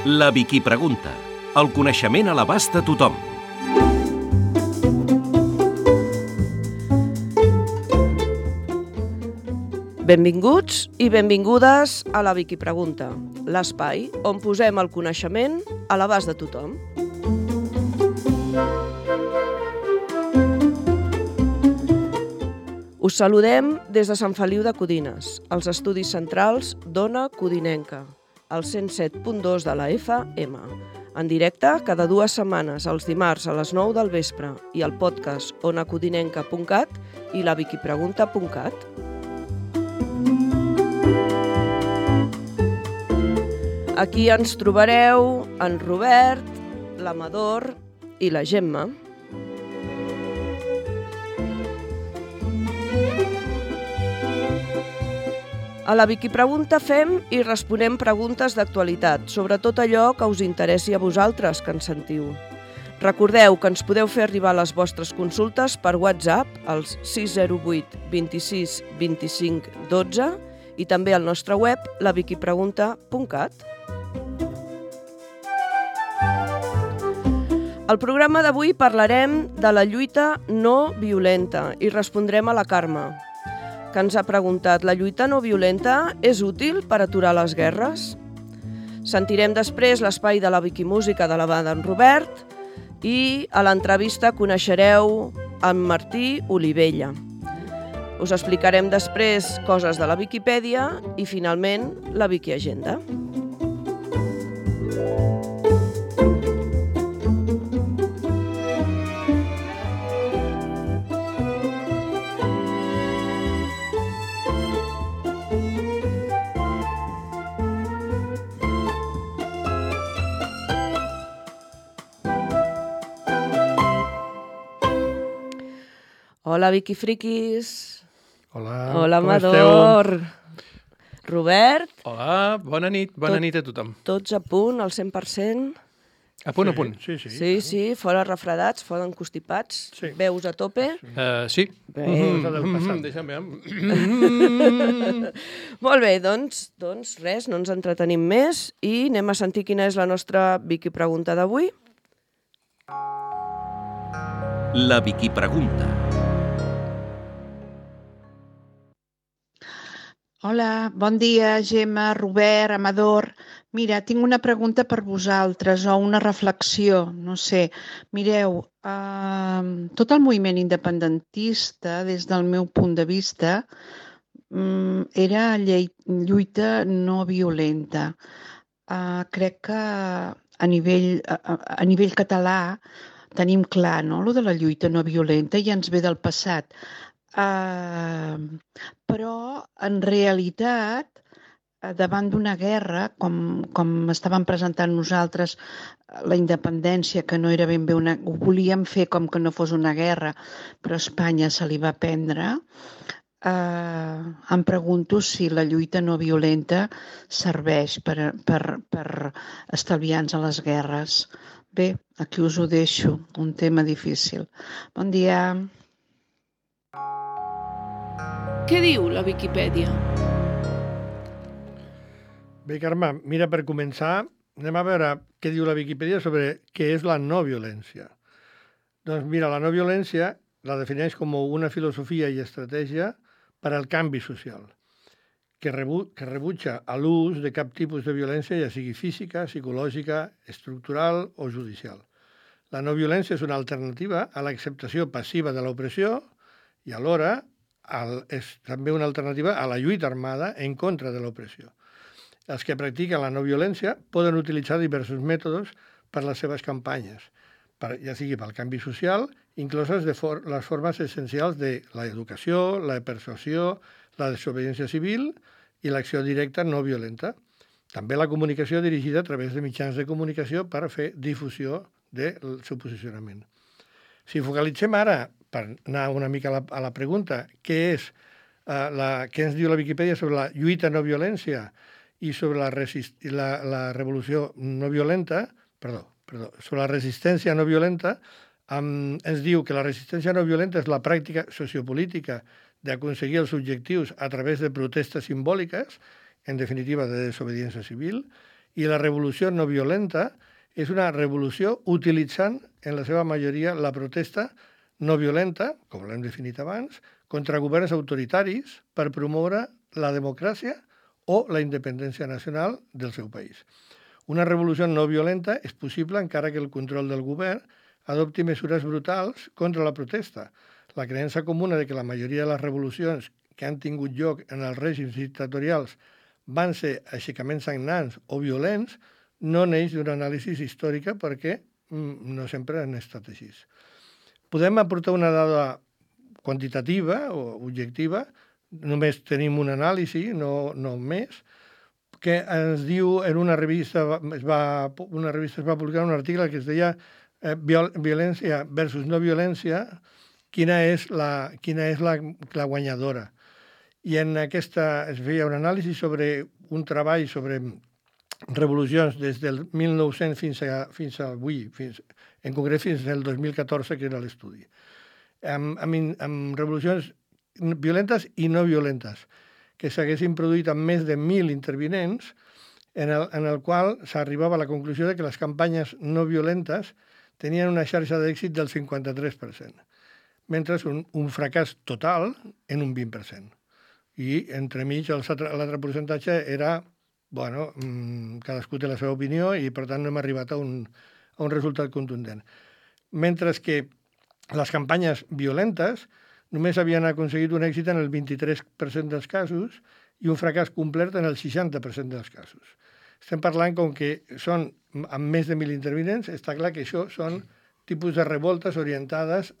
La Vicky Pregunta. El coneixement a l'abast de tothom. Benvinguts i benvingudes a la Vicky Pregunta, l'espai on posem el coneixement a l'abast de tothom. Us saludem des de Sant Feliu de Codines, als estudis centrals d'Ona Codinenca, al 107.2 de la FM, en directe cada 2 setmanes, els dimarts a les 9 del vespre, i el podcast onacodinenca.cat i la viquipregunta.cat. Aquí ens trobareu en Robert, l'Amador i la Gemma. A la Vicky Pregunta fem i responem preguntes d'actualitat, sobre tot allò que us interessi a vosaltres que ens sentiu. Recordeu que ens podeu fer arribar les vostres consultes per WhatsApp als 608 26 25 12 i també al nostre web laviquipregunta.cat. Al programa d'avui parlarem de la lluita no violenta i respondrem a la Carme, que ens ha preguntat: la lluita no violenta és útil per aturar les guerres? Sentirem després l'espai de la Wikimúsica de la banda en Robert i a l'entrevista coneixereu en Martí Olivella. Us explicarem després coses de la Viquipèdia i finalment la Wikiagenda. Hola, Vicky Friquis. Hola, Hola, com Amador. esteu? Robert. Hola, bona nit a tothom. Tots a punt, al 100%. A punt. Sí, fora refredats, fora encostipats, Sí. veus a tope. Sí. Bé. Deixa'm veure. Molt bé, doncs res, no ens entretenim més i anem a sentir quina és la nostra Vicky Pregunta d'avui. La Vicky Pregunta. Hola, bon dia, Gemma, Robert, Amador. Mira, tinc una pregunta per vosaltres o una reflexió, no sé. Mireu, tot el moviment independentista, des del meu punt de vista, era lluita no violenta. Crec que a nivell català tenim clar, no?, lo de la lluita no violenta ja ens ve del passat. Però, en realitat, davant d'una guerra, com estàvem presentant nosaltres la independència, que no era ben bé ho volíem fer com que no fos una guerra, però a Espanya se li va prendre, em pregunto si la lluita no violenta serveix per estalviar-nos a les guerres. Bé, aquí us ho deixo, un tema difícil. Bon dia. Què diu la Viquipèdia? Bé, Carme, mira, per començar, anem a veure què diu la Viquipèdia sobre què és la no violència. Doncs mira, la no violència la defineix com una filosofia i estratègia per al canvi social, que rebutja l'ús de cap tipus de violència, ja sigui física, psicològica, estructural o judicial. La no violència és una alternativa a l'acceptació passiva de l'opressió i alhora és també una alternativa a la lluita armada en contra de l'opressió. Els que practiquen la no violència poden utilitzar diversos mètodes per les seves campanyes, ja sigui pel canvi social, incloses les formes essencials de l'educació, la persuasió, la desobediència civil i l'acció directa no violenta. També la comunicació dirigida a través de mitjans de comunicació per fer difusió del seu posicionament. Si focalitzem ara, per anar una mica a la pregunta, què ens diu la Viquipèdia sobre la lluita no violència i sobre la revolució no violenta, sobre la resistència no violenta, ens diu que la resistència no violenta és la pràctica sociopolítica d'aconseguir els objectius a través de protestes simbòliques, en definitiva de desobediència civil, I la revolució no violenta és una revolució utilitzant, en la seva majoria, la protesta no violenta, com l'hem definit abans, contra governs autoritaris per promoure la democràcia o la independència nacional del seu país. Una revolució no violenta és possible encara que el control del govern adopti mesures brutals contra la protesta. La creença comuna de que la majoria de les revolucions que han tingut lloc en els règims dictatorials van ser aixecaments sagnants o violents no neix d'una anàlisi històrica perquè no sempre han estat així. Podem aportar una dada quantitativa o objectiva, només tenim una anàlisi, no més, que ens diu en una revista es va publicar un article que es deia violència versus no violència, quina és la guanyadora. I en aquesta es feia un anàlisi sobre un treball sobre revolucions des del 1900 fins a avui, en concret fins al 2014, que era l'estudi. Amb revolucions violentes i no violentes, que s'haguessin produït amb més de 1.000 intervinents, en el qual s'arribava a la conclusió de que les campanyes no violentes tenien una xarxa d'èxit del 53%, mentre un fracàs total en un 20%. I entremig l'altre percentatge era, cadascú té la seva opinió i per tant no hem arribat a un resultat contundent. Mentre que les campanyes violentes només havien aconseguit un èxit en el 23% dels casos i un fracàs complet en el 60% dels casos. Estem parlant com que són amb més de 1.000 intervinents, està clar que això són tipus de revoltes orientades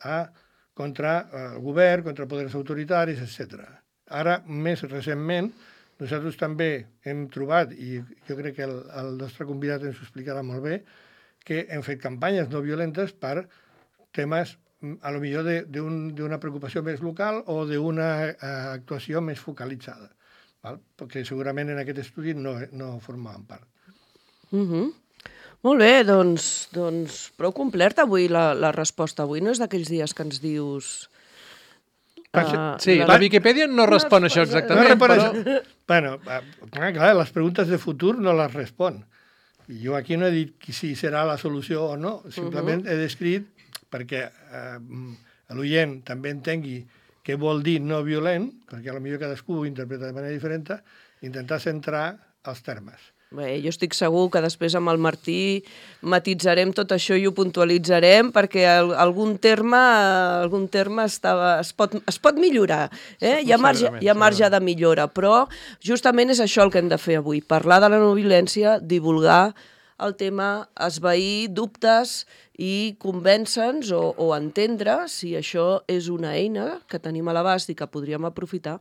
contra el govern, contra poders autoritaris, etc. Ara, més recentment, nosaltres també hem trobat, i jo crec que el nostre convidat ens ho explicarà molt bé, que hem fet campanyes no violentes per temes a lo millor d'una preocupació més local o d'una actuació més focalitzada, perquè segurament en aquest estudi no formaven part. Molt bé, doncs prou completa avui la resposta. Avui no és d'aquells dies que ens dius... Sí, la Viquipèdia no respon això exactament, però... Bueno, clar, les preguntes de futur no les respon. Jo aquí no he dit si serà la solució o no, simplement he descrit perquè l'oient també entengui què vol dir no violent, perquè potser cadascú ho interpreta de manera diferent, intentar centrar els termes. Bé, jo estic segur que després amb el Martí matitzarem tot això i ho puntualitzarem perquè algun terme es pot millorar. Hi ha marge de millora, però justament és això el que hem de fer avui, parlar de la no violència, divulgar el tema, esvair dubtes i convèncer-nos o entendre si això és una eina que tenim a l'abast i que podríem aprofitar.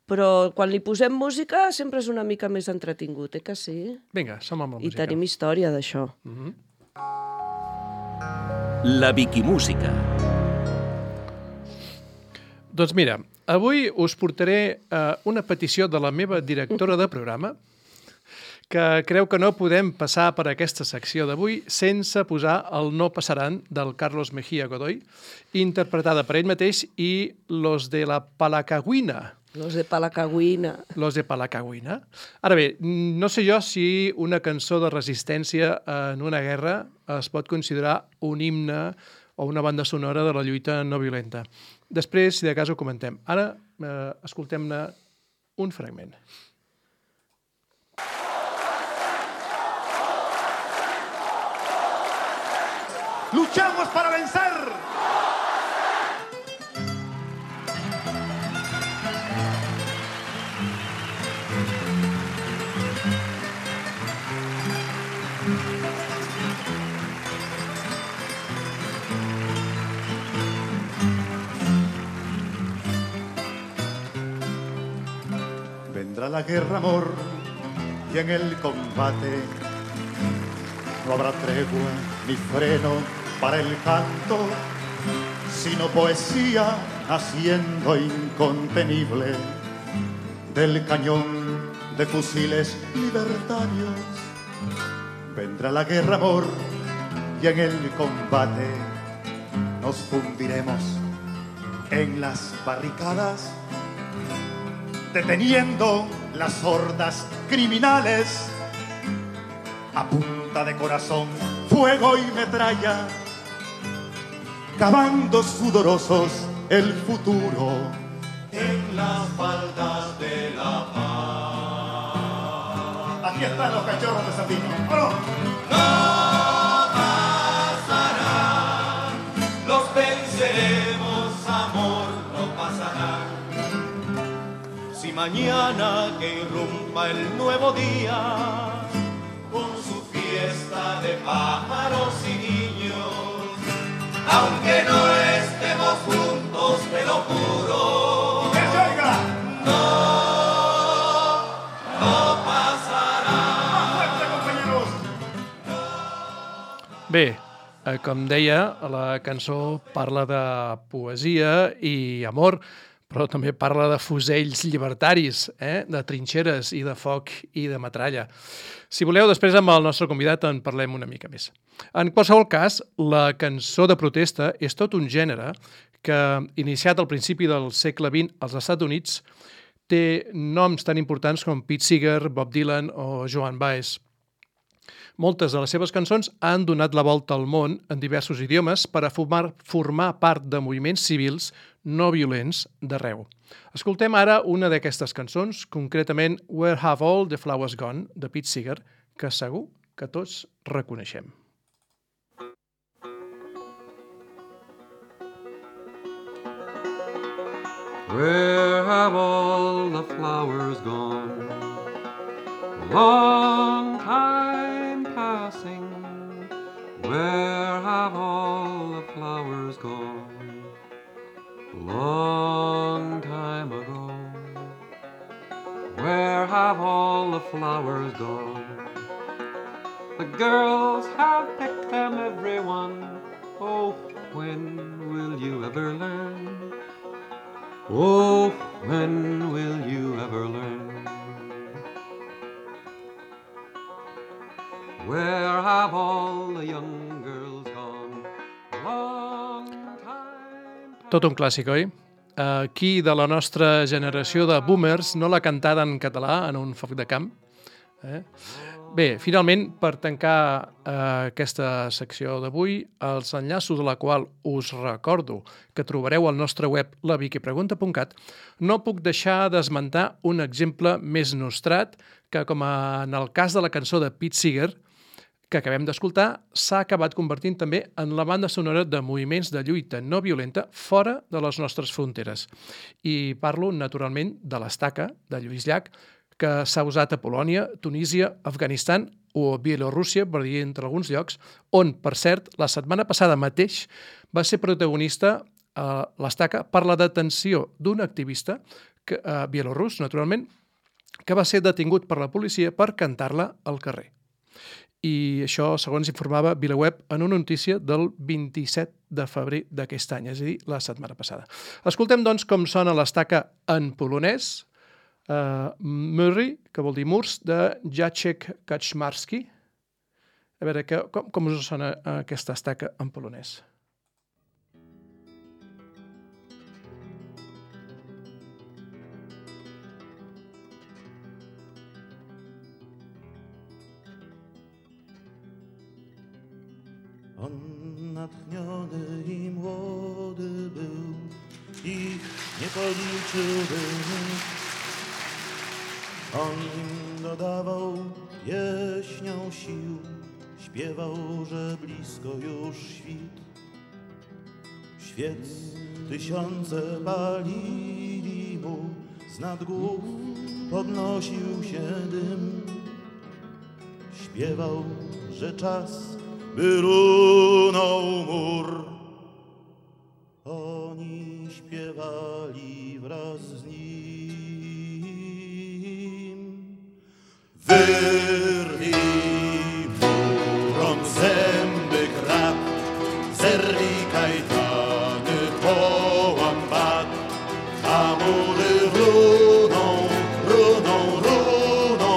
Però quan li posem música sempre és una mica més entretingut, que sí? Vinga, som amb la música. I tenim història d'això. La Viquimúsica. Doncs mira, avui us portaré una petició de la meva directora de programa que creu que no podem passar per aquesta secció d'avui sense posar el No passaran del Carlos Mejía Godoy, interpretada per ell mateix i Los de la Palacagüina. Los de Palacagüina. Los de Palacagüina. Ara bé, no sé jo si una cançó de resistència en una guerra es pot considerar un himne o una banda sonora de la lluita no violenta. Després, si de cas, ho comentem. Ara, escoltem-ne un fragment. ¡Luchamos para vencer! Vendrá la guerra, amor, y en el combate no habrá tregua ni freno para el canto, sino poesía naciendo incontenible del cañón de fusiles libertarios. Vendrá la guerra, amor, y en el combate nos fundiremos en las barricadas, deteniendo las hordas criminales a punta de corazón, fuego y metralla, cavando sudorosos el futuro en las faldas de la paz. Aquí están los cachorros de Sandino. ¡Vámonos! No pasarán, los venceremos, amor, no pasarán. Si mañana que irrumpa el nuevo día, con su fiesta de pájaros y niños, aunque no estemos juntos, te lo juro, ¡que se oiga! no pasará. ¡Más fuerte, compañeros! Bé, com deia, la cançó parla de poesia i amor, però també parla de fusells llibertaris, de trinxeres i de foc i de metralla. Si voleu, després amb el nostre convidat en parlem una mica més. En qualsevol cas, la cançó de protesta és tot un gènere que, iniciat al principi del segle XX als Estats Units, té noms tan importants com Pete Seeger, Bob Dylan o Joan Baez. Moltes de les seves cançons han donat la volta al món en diversos idiomes per a formar part de moviments civils no violents d'arreu. Escoltem ara una d'aquestes cançons, concretament Where Have All the Flowers Gone, de Pete Seeger, que segur que tots reconeixem. Where have all the flowers gone? A long time passing. Where have all the flowers gone? A long time ago. Where have all the flowers gone? The girls have picked them, everyone. Oh, when will you ever learn? Oh, when will you ever learn? Where have all the young girls gone? Long time... Tot un clàssic, oi? Qui de la nostra generació de boomers no l'ha cantat en català en un foc de camp? Bé, finalment, per tancar aquesta secció d'avui, els enllaços de la qual us recordo que trobareu al nostre web laviquipregunta.cat, no puc deixar d'esmentar un exemple més nostrat que, com en el cas de la cançó de Pete Seeger, que acabem d'escoltar, s'ha acabat convertint també en la banda sonora de moviments de lluita no violenta fora de les nostres fronteres. I parlo, naturalment, de l'Estaca, de Lluís Llach, que s'ha usat a Polònia, Tunísia, Afganistan o Bielorússia, per dir entre alguns llocs, on, per cert, la setmana passada mateix va ser protagonista l'Estaca per la detenció d'un activista bielorús, naturalment, que va ser detingut per la policia per cantar-la al carrer. I això, segons informava VilaWeb, en una notícia del 27 de febrer d'aquest any, és a dir, la setmana passada. Escoltem, doncs, com sona l'Estaca en polonès, Murray, que vol dir murs, de Jacek Kaczmarski. A veure, com us sona aquesta estaca en polonès? On natchniony I młody był, ich nie policzyłby nikt. On im dodawał pieśnią sił, śpiewał, że blisko już świt. Świec tysiące palili mu, z nad głów podnosił się dym. Śpiewał, że czas by runął mur. Oni śpiewali wraz z nim. Wyrwij murom zęby krat, zerwij kajtany, połam bat, a mury runą, runą, runą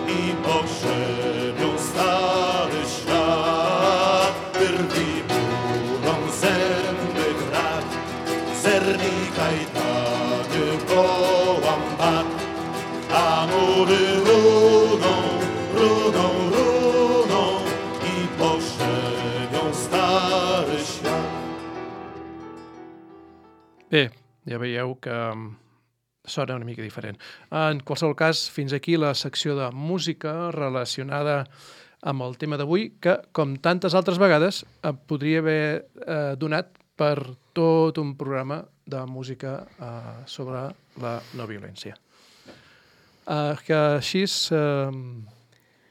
i pogrzebią stary świat. Wyrwij murom zęby krat, zerwij kajtany, połam bat, a mury runą, runą, runą Ja veieu que sona una mica diferent. En qualsevol cas, fins aquí la secció de música relacionada amb el tema d'avui, que, com tantes altres vegades, podria haver donat per tot un programa de música sobre la no violència. Que així,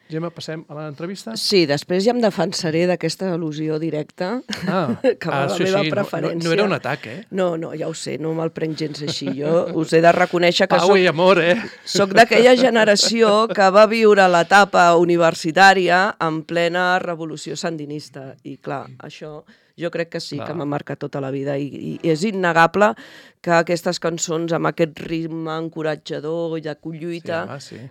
Gemma, passem a l'entrevista? Sí, després ja em defensaré d'aquesta al·lusió directa, que va la meva preferència. No era un atac, No, ja ho sé, no me'l prenc gens així. Jo us he de reconèixer que soc d'aquella generació que va viure l'etapa universitària en plena revolució sandinista. I clar, això jo crec que sí, que m'ha marcat tota la vida. I és innegable que aquestes cançons amb aquest ritme encoratjador i de lluita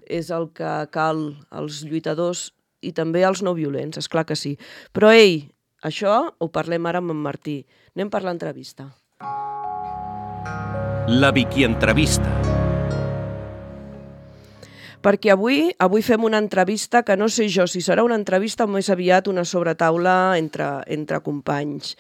és el que cal als lluitadors i també als no violents, és clar que sí. Però ei, això ho parlem ara amb en Martí. Anem per l'entrevista. La Vicky Entrevista. Perquè avui fem una entrevista que no sé jo si serà una entrevista o més aviat una sobretaula entre companys.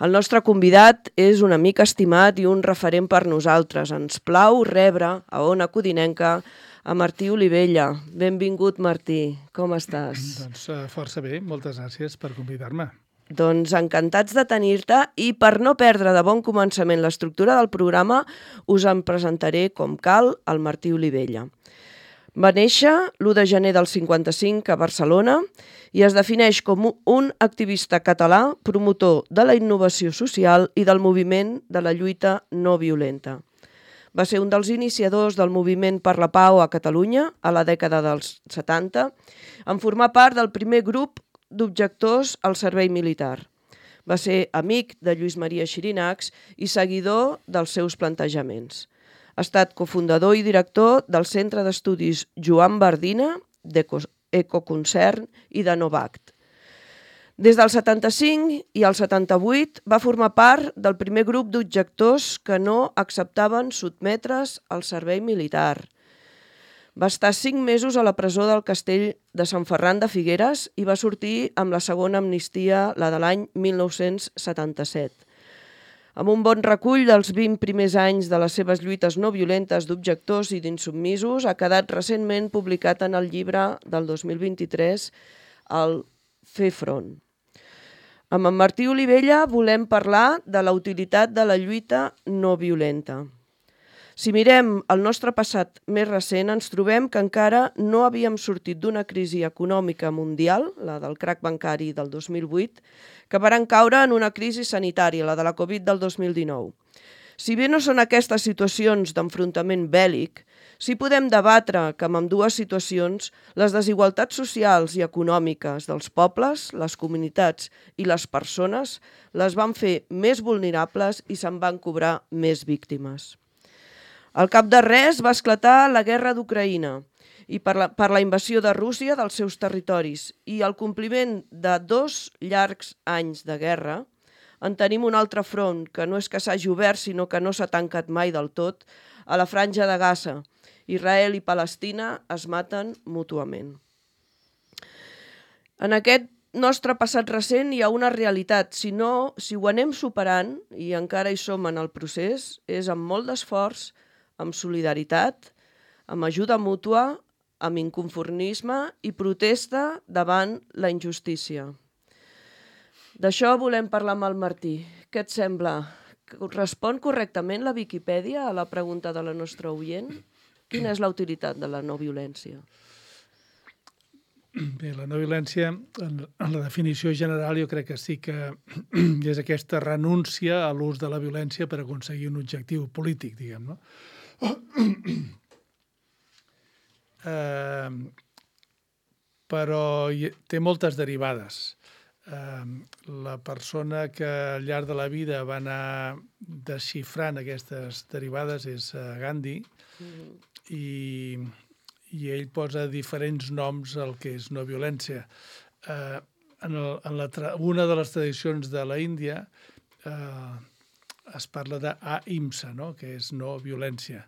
El nostre convidat és un amic estimat i un referent per nosaltres. Ens plau rebre a Ona Codinenca a Martí Olivella. Benvingut, Martí. Com estàs? Doncs força bé. Moltes gràcies per convidar-me. Doncs encantats de tenir-te i per no perdre de bon començament l'estructura del programa us en presentaré com cal el Martí Olivella. Va néixer l'1 de gener del 55 a Barcelona i es defineix com un activista català promotor de la innovació social i del moviment de la lluita no violenta. Va ser un dels iniciadors del moviment per la pau a Catalunya a la dècada dels 70, en formar part del primer grup d'objectors al servei militar. Va ser amic de Lluís Maria Xirinacs i seguidor dels seus plantejaments. Ha estat cofundador i director del Centre d'Estudis Joan Bardina, d'Ecoconcern i de Novact. Des del 75 i el 78 va formar part del primer grup d'objectors que no acceptaven sotmetre's al servei militar. Va estar 5 mesos a la presó del castell de Sant Ferran de Figueres i va sortir amb la segona amnistia, la de l'any 1977. Amb un bon recull dels 20 primers anys de les seves lluites no violentes d'objectors i d'insubmisos, ha quedat recentment publicat en el llibre del 2023, el Fer Front. Amb en Martí Olivella volem parlar de la utilitat de la lluita no violenta. Si mirem el nostre passat més recent, ens trobem que encara no havíem sortit d'una crisi econòmica mundial, la del crac bancari del 2008, que varen caure en una crisi sanitària, la de la Covid del 2019. Si bé no són aquestes situacions d'enfrontament bèl·lic, sí podem debatre que amb ambdues situacions les desigualtats socials i econòmiques dels pobles, les comunitats i les persones les van fer més vulnerables i se'n van cobrar més víctimes. Al cap de res va esclatar la guerra d'Ucraïna i per la invasió de Rússia dels seus territoris i el compliment de 2 llargs anys de guerra, en tenim un altre front que no és que s'hagi obert sinó que no s'ha tancat mai del tot, a la franja de Gaza. Israel i Palestina es maten mútuament. En aquest nostre passat recent hi ha una realitat. Si ho anem superant, i encara hi som en el procés, és amb molt d'esforç, amb solidaritat, amb ajuda mútua, amb inconformisme i protesta davant la injustícia. D'això volem parlar amb el Martí. Què et sembla? Respon correctament la Viquipèdia a la pregunta de la nostra oient? Quina és la utilitat de la no violència? Bé, la no violència, en la definició general, jo crec que sí que és aquesta renúncia a l'ús de la violència per aconseguir un objectiu polític, diguem, no? Però té moltes derivades. La persona que al llarg de la vida va anar desxifrant aquestes derivades és Gandhi i ell posa diferents noms al que és no violència. En una de les tradicions de la Índia es parla d'ahimsa, no? Que és no violència.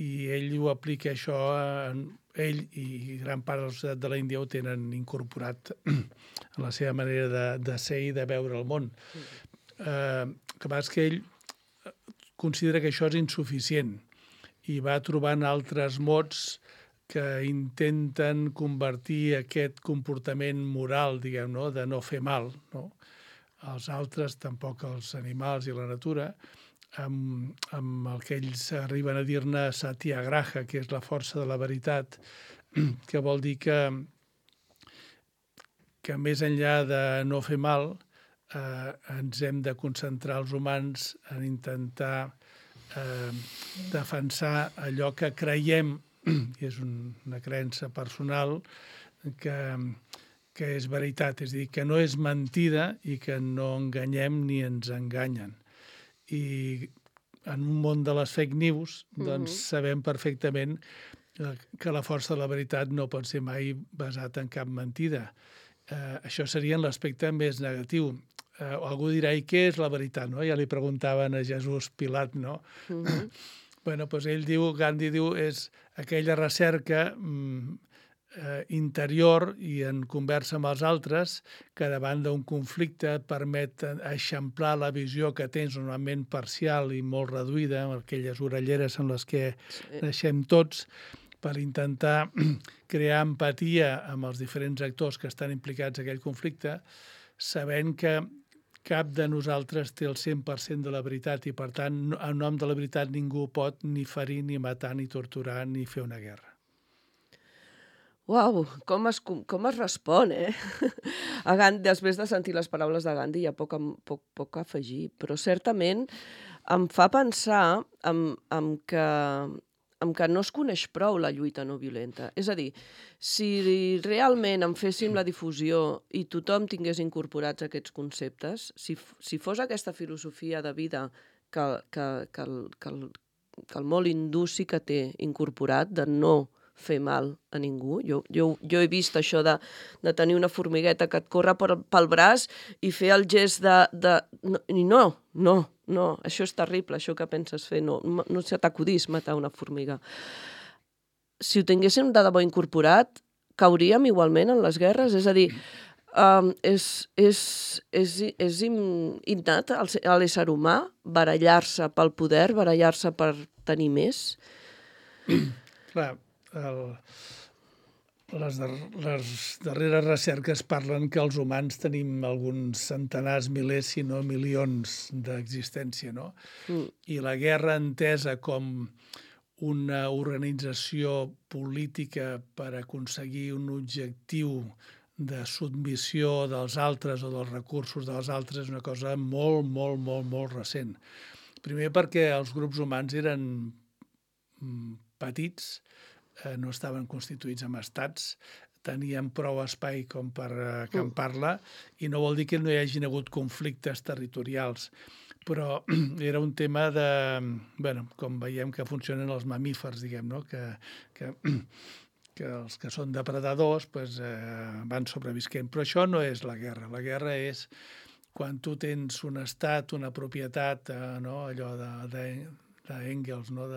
I ell ho aplica això, ell i gran part de la societat de la Índia ho tenen incorporat a la seva manera de ser i de veure el món. El que passa és que ell considera que això és insuficient i va trobant altres mots que intenten convertir aquest comportament moral, diguem, no? De no fer mal, no? Als altres, tampoc als animals i la natura, amb el que ells arriben a dir-ne satyagraha, que és la força de la veritat, que vol dir que més enllà de no fer mal, ens hem de concentrar els humans en intentar defensar allò que creiem, i és una creença personal, que és veritat, és a dir, que no és mentida i que no enganyem ni ens enganyen. I en un món de les fake news, doncs sabem perfectament que la força de la veritat no pot ser mai basat en cap mentida. Això seria en l'aspecte més negatiu. Algú dirà, i què és la veritat? No? Ja li preguntaven a Jesús Pilat, no? Bueno, doncs ell diu, Gandhi diu, és aquella recerca interior i en conversa amb els altres que davant d'un conflicte et permet eixamplar la visió que tens normalment parcial i molt reduïda, amb aquelles orelleres en les que naixem tots, per intentar crear empatia amb els diferents actors que estan implicats en aquell conflicte, sabent que cap de nosaltres té el 100% de la veritat i, per tant, en nom de la veritat ningú pot ni ferir, ni matar, ni torturar, ni fer una guerra. Uau, com es respon, eh? A Gandhi, després de sentir les paraules de Gandhi, hi ha poc a afegir, però certament em fa pensar en que no es coneix prou la lluita no violenta. És a dir, si realment en féssim la difusió i tothom tingués incorporats aquests conceptes, si fos aquesta filosofia de vida que el molt hindú sí que té incorporat, de no fer mal a ningú. Jo he vist això de tenir una formigueta que et corre pel braç i fer el gest no, això és terrible, això que penses fer, no se t'acudís matar una formiga. Si ho tinguéssim de debò incorporat, cauríem igualment en les guerres? És a dir, és innat a l'ésser humà barallar-se pel poder, barallar-se per tenir més? Clar, les darreres recerques parlen que els humans tenim alguns centenars, milers, si no milions d'existència, no? I la guerra entesa com una organització política per aconseguir un objectiu de submissió dels altres o dels recursos dels altres és una cosa molt, molt, molt, molt recent. Primer perquè els grups humans eren petits, no estaven constituïts en estats, tenien prou espai com per acampar-la i no vol dir que no hi hagin hagut conflictes territorials, però era un tema de, bueno, com veiem que funcionen els mamífers, diguem, no? Que els que són depredadors van sobrevisquent. Però això no és la guerra. La guerra és quan tu tens un estat, una propietat, allò d'Engels, no?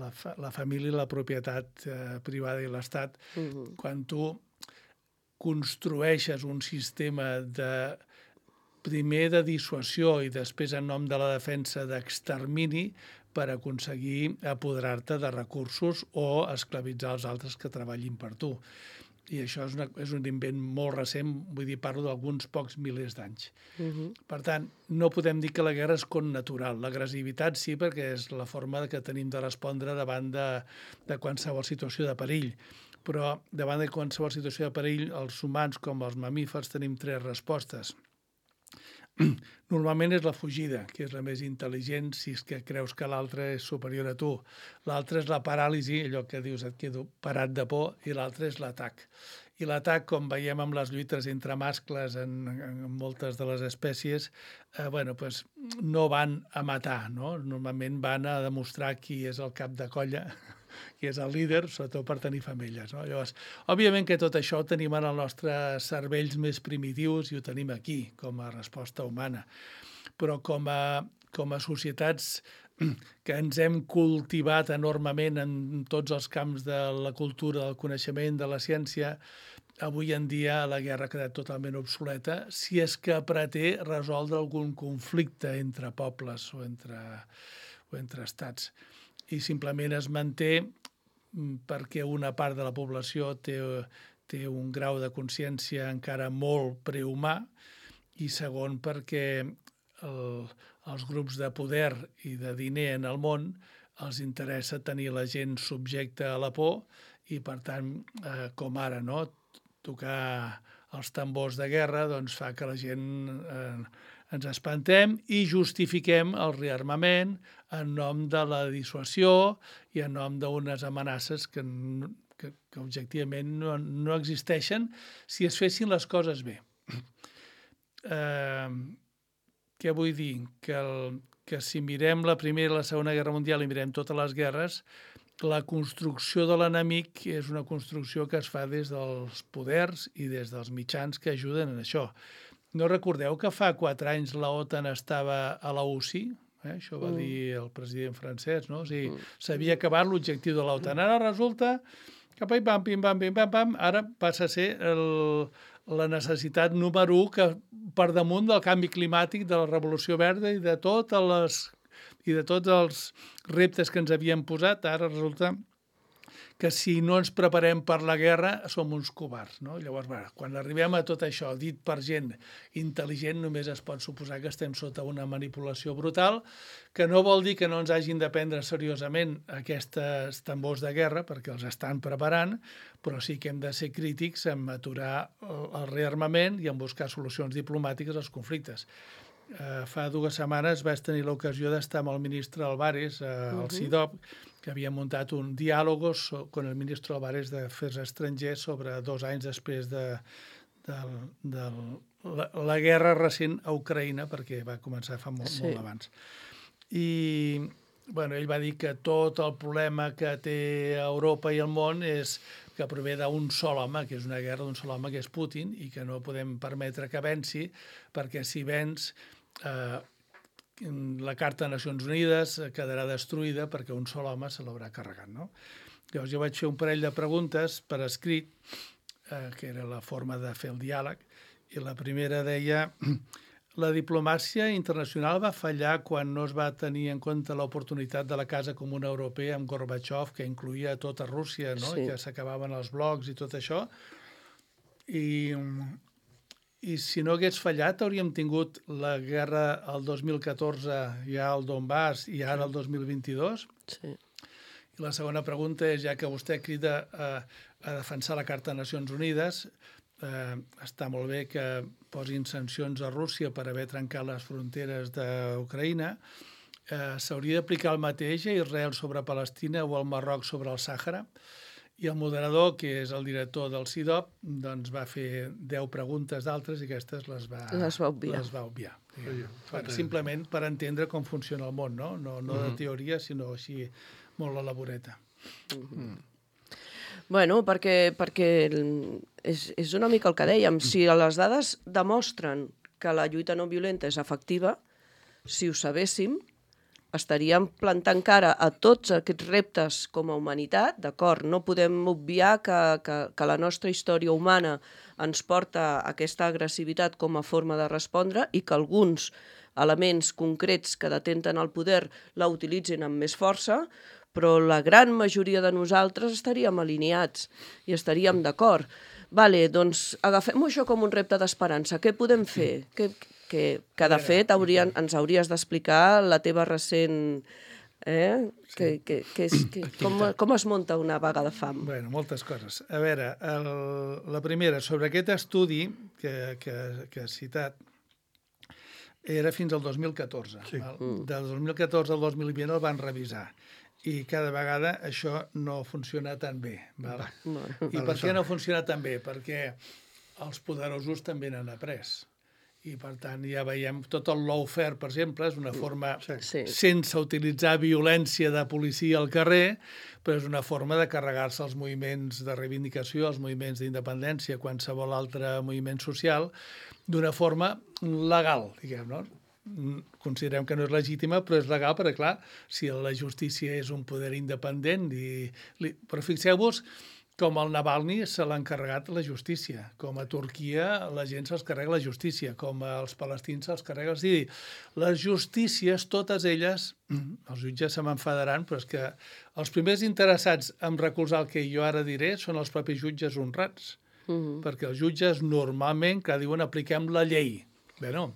La família i la propietat privada i l'Estat, quan tu construeixes un sistema primer de dissuasió i després en nom de la defensa d'extermini per aconseguir apoderar-te de recursos o esclavitzar els altres que treballin per tu. I això és un invent molt recent, vull dir, parlo d'alguns pocs milers d'anys. Per tant, no podem dir que la guerra és connatural. L'agressivitat sí, perquè és la forma que tenim de respondre davant de qualsevol situació de perill. Però davant de qualsevol situació de perill, els humans com els mamífers tenim 3 respostes. Normalment és la fugida, que és la més intel·ligent si és que creus que l'altre és superior a tu. L'altre és la paràlisi, allò que dius et quedo parat de por, i l'altre és l'atac. I l'atac, com veiem amb les lluites entre mascles en moltes de les espècies, no van a matar, no? Normalment van a demostrar qui és el cap de colla, qui és el líder, sobretot per tenir femelles, no? Llavors, òbviament que tot això ho tenim en els nostres cervells més primitius i ho tenim aquí, com a resposta humana. Però com a societats que ens hem cultivat enormement en tots els camps de la cultura, del coneixement, de la ciència, avui en dia la guerra ha quedat totalment obsoleta si és que pretén resoldre algun conflicte entre pobles o entre estats. I simplement es manté perquè una part de la població té un grau de consciència encara molt prehumà i segon perquè els grups de poder i de diner en el món els interessa tenir la gent subjecta a la por i, per tant, com ara, no?, tocar els tambors de guerra doncs fa que la gent ens espantem i justifiquem el rearmament en nom de la dissuasió i en nom d'unes amenaces que objectivament no existeixen si es fessin les coses bé. Què vull dir? Que si mirem la Primera i la Segona Guerra Mundial i mirem totes les guerres, la construcció de l'enemic és una construcció que es fa des dels poders i des dels mitjans que ajuden en això. No recordeu que fa 4 anys la OTAN estava a la UCI? Això va dir el president francès, no? O sigui, s'havia acabat l'objectiu de l'OTAN. Ara resulta que pim-pam, ara passa a ser la necessitat número 1 que per damunt del canvi climàtic, de la revolució verda i de tots els reptes que ens havien posat, ara resulta que si no ens preparem per la guerra som uns covards, no? Llavors, quan arribem a tot això, dit per gent intel·ligent, només es pot suposar que estem sota una manipulació brutal, que no vol dir que no ens hagin de prendre seriosament aquests tambors de guerra, perquè els estan preparant, però sí que hem de ser crítics en aturar el rearmament i en buscar solucions diplomàtiques als conflictes. Fa 2 setmanes vaig tenir l'ocasió d'estar amb el ministre Álvarez al CIDOB, que havia muntat un diàleg con el ministre Álvarez d'Afers Estrangers sobre 2 anys després de la guerra recent a Ucraïna, perquè va començar fa molt abans. I ell va dir que tot el problema que té Europa i el món és que prové d'un sol home, que és una guerra d'un sol home, que és Putin, i que no podem permetre que venci, perquè si venç la Carta de Nacions Unides quedarà destruïda perquè un sol home se l'haurà carregat, no? Llavors jo vaig fer un parell de preguntes per escrit, que era la forma de fer el diàleg, i la primera deia: la diplomàcia internacional va fallar quan no es va tenir en compte l'oportunitat de la Casa Comuna Europea amb Gorbachev, que incloïa tota Rússia, no? I que s'acabaven els blocs i tot això. I si no hagués fallat, hauríem tingut la guerra el 2014 ja al Donbass i ara el 2022? Sí. I la segona pregunta és, ja que vostè crida a defensar la Carta de Nacions Unides, està molt bé que posin sancions a Rússia per haver trencat les fronteres d'Ucraïna. S'hauria d'aplicar el mateix a Israel sobre Palestina o al Marroc sobre el Sàhara? I el moderador, que és el director del CIDOB, doncs va fer 10 preguntes d'altres i aquestes les va obviar. Simplement per entendre com funciona el món, no de teoria, sinó així molt a la voreta. Bueno, perquè és una mica el que dèiem. Si les dades demostren que la lluita no violenta és efectiva, si ho sabéssim, estaríem plantant cara a tots aquests reptes com a humanitat, d'acord? No podem obviar que la nostra història humana ens porta a aquesta agressivitat com a forma de respondre i que alguns elements concrets que detenten el poder la utilitzin amb més força, però la gran majoria de nosaltres estaríem alineats i estaríem d'acord. Vale, doncs agafem això com un repte d'esperança. Què podem fer? Que de fet ens hauries d'explicar la teva recent... Com es munta una vaga de fam? Bé, moltes coses. A veure, la primera, sobre aquest estudi que has citat, era fins al 2014. Del 2014 al 2020 el van revisar. I cada vegada això no funciona tan bé. I per què no funciona tan bé? Perquè els poderosos també n'han après. I, per tant, ja veiem tot el lawfare, per exemple, és una forma, sense utilitzar violència de policia al carrer, però és una forma de carregar-se els moviments de reivindicació, els moviments d'independència, qualsevol altre moviment social, d'una forma legal, diguem, no? Considerem que no és legítima, però és legal, perquè, clar, si la justícia és un poder independent... Però fixeu-vos Com el Navalny se l'ha encarregat la justícia, com a Turquia la gent se'ls carrega la justícia, com als palestins se'ls carrega... És a dir, les justícies, totes elles, els jutges se m'enfadaran, però és que els primers interessats en recolzar el que jo ara diré són els propis jutges honrats, perquè els jutges normalment, que diuen, apliquem la llei. Bé, no.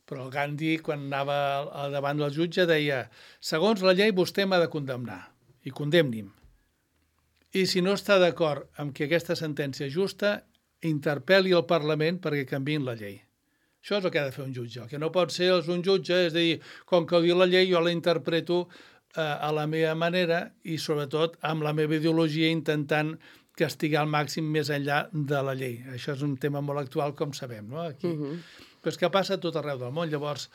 Però el Gandhi, quan anava davant del jutge, deia, segons la llei vostè m'ha de condemnar, i condemni'm. I si no està d'acord amb que aquesta sentència és justa, interpel·li al Parlament perquè canviïn la llei. Això és el que ha de fer un jutge. El que no pot ser un jutge és dir, com que ho diu la llei, jo la interpreto a la meva manera i, sobretot, amb la meva ideologia intentant castigar al màxim més enllà de la llei. Això és un tema molt actual, com sabem, no? Aquí. Però és que passa a tot arreu del món. Llavors,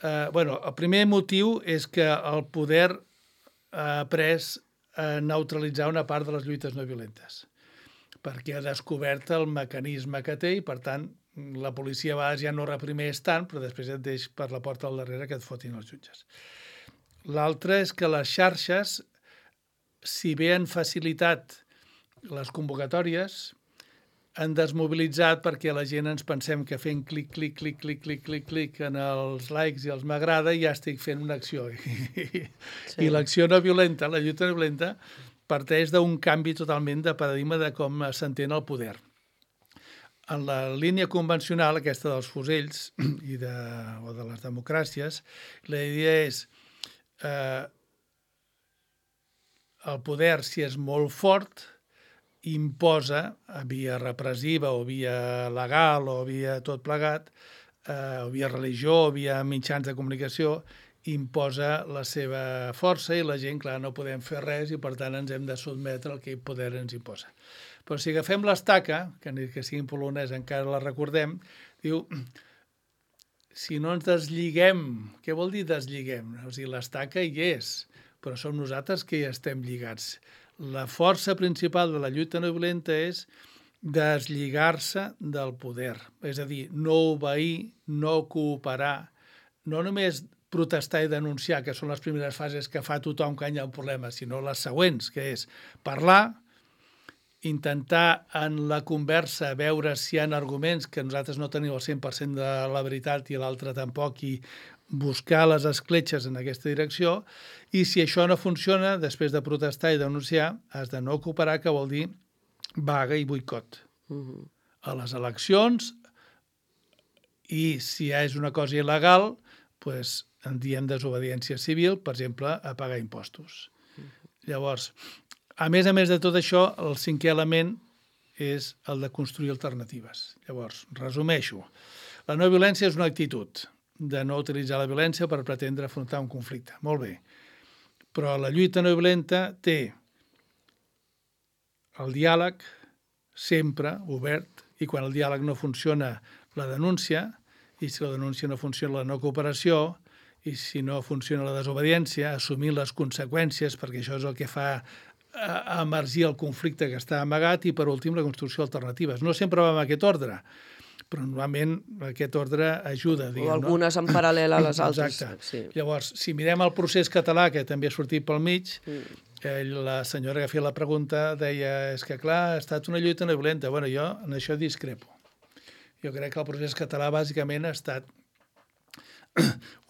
el primer motiu és que el poder ha pres a neutralitzar una part de les lluites no violentes, perquè ha descobert el mecanisme que té i, per tant, la policia a vegades ja no reprimeix tant, però després et deix per la porta al darrere que et fotin els jutges. L'altre és que les xarxes, si bé han facilitat les convocatòries, han desmobilitzat perquè la gent ens pensem que fent clic en els likes i els m'agrada ja estic fent una acció. I l'acció no violenta, la lluita no violenta, parteix d'un canvi totalment de paradigma de com s'entén el poder. En la línia convencional, aquesta dels fusells o de les democràcies, la idea és el poder, si és molt fort, imposa, via repressiva o via legal o via tot plegat, o via religió o via mitjans de comunicació, imposa la seva força i la gent, clar, no podem fer res i per tant ens hem de sotmetre al que el poder ens imposa. Però si agafem l'estaca, que ni que sigui en polonès encara la recordem, diu, si no ens deslligem, què vol dir deslligem? O sigui, l'estaca hi és, però som nosaltres que hi estem lligats. La força principal de la lluita no violenta és deslligar-se del poder. És a dir, no obeir, no cooperar, no només protestar i denunciar, que són les primeres fases que fa tothom quan hi ha un problema, sinó les següents, que és parlar, intentar en la conversa veure si hi ha arguments que nosaltres no tenim el 100% de la veritat i l'altre tampoc, i buscar les escletxes en aquesta direcció, i si això no funciona, després de protestar i denunciar, has de no cooperar, que vol dir vaga i boicot. A les eleccions, i si és una cosa il·legal, doncs en diem desobediència civil, per exemple, a pagar impostos. Llavors, a més de tot això, el cinquè element és el de construir alternatives. Llavors, resumeixo. La no violència és una actitud de no utilitzar la violència per pretendre afrontar un conflicte. Molt bé. Però la lluita no violenta té el diàleg sempre obert, i quan el diàleg no funciona, la denúncia, i si la denúncia no funciona, la no cooperació, i si no funciona la desobediència, assumir les conseqüències, perquè això és el que fa emergir el conflicte que està amagat, i per últim la construcció d'alternatives. No sempre va en aquest ordre, però normalment aquest ordre ajuda. O algunes en paral·lel a les altres. Exacte. Llavors, si mirem el procés català, que també ha sortit pel mig, la senyora que feia la pregunta deia, és que clar, ha estat una lluita no violenta. Bueno, jo en això discrepo. Jo crec que el procés català bàsicament ha estat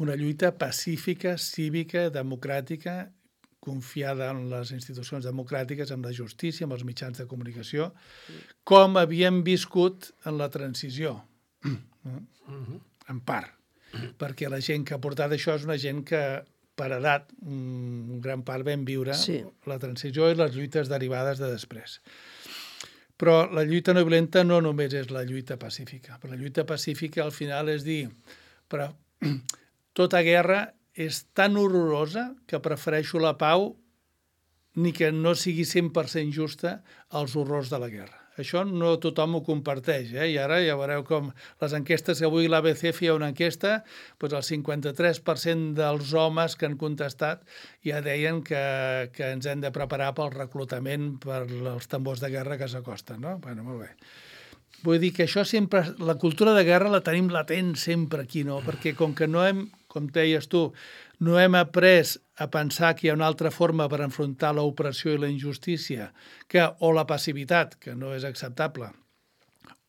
una lluita pacífica, cívica, democràtica, confiada en les institucions democràtiques, en la justícia, en els mitjans de comunicació, com havíem viscut en la transició, en part. Perquè la gent que ha portat això és una gent que, per edat, en gran part vam viure la transició i les lluites derivades de després. Però la lluita no violenta no només és la lluita pacífica. Però la lluita pacífica, al final, és dir, però tota guerra és tan horrorosa que prefereixo la pau ni que no sigui 100% justa als horrors de la guerra. Això no tothom ho comparteix, i ara ja veureu com les enquestes que avui l'ABC feia una enquesta, doncs el 53% dels homes que han contestat ja deien que ens hem de preparar pel reclutament per als tambors de guerra que s'acosten, no? Bueno, molt bé. Vull dir que això sempre, la cultura de guerra la tenim latent sempre aquí, no? Perquè com que no hem com deies tu, no hem après a pensar que hi ha una altra forma per enfrontar l'opressió i la injustícia o la passivitat, que no és acceptable,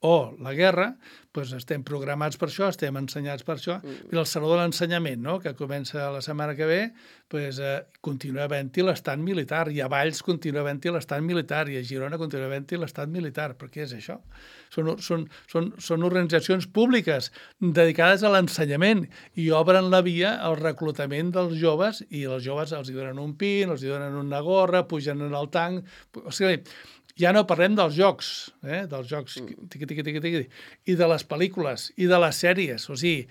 o la guerra, doncs estem programats per això, estem ensenyats per això. I el Saló de l'Ensenyament, no?, que comença la setmana que ve, doncs, continua havent-hi l'estat militar, i a Valls continua havent-hi l'estat militar, i a Girona continua havent-hi l'estat militar. Per què és això? Són organitzacions públiques dedicades a l'ensenyament i obren la via al reclutament dels joves, i els joves els donen un pin, els donen una gorra, pugen en el tanc... O sigui, ja no parlem dels jocs, dels jocs i de les pel·lícules i de les sèries. O sigui,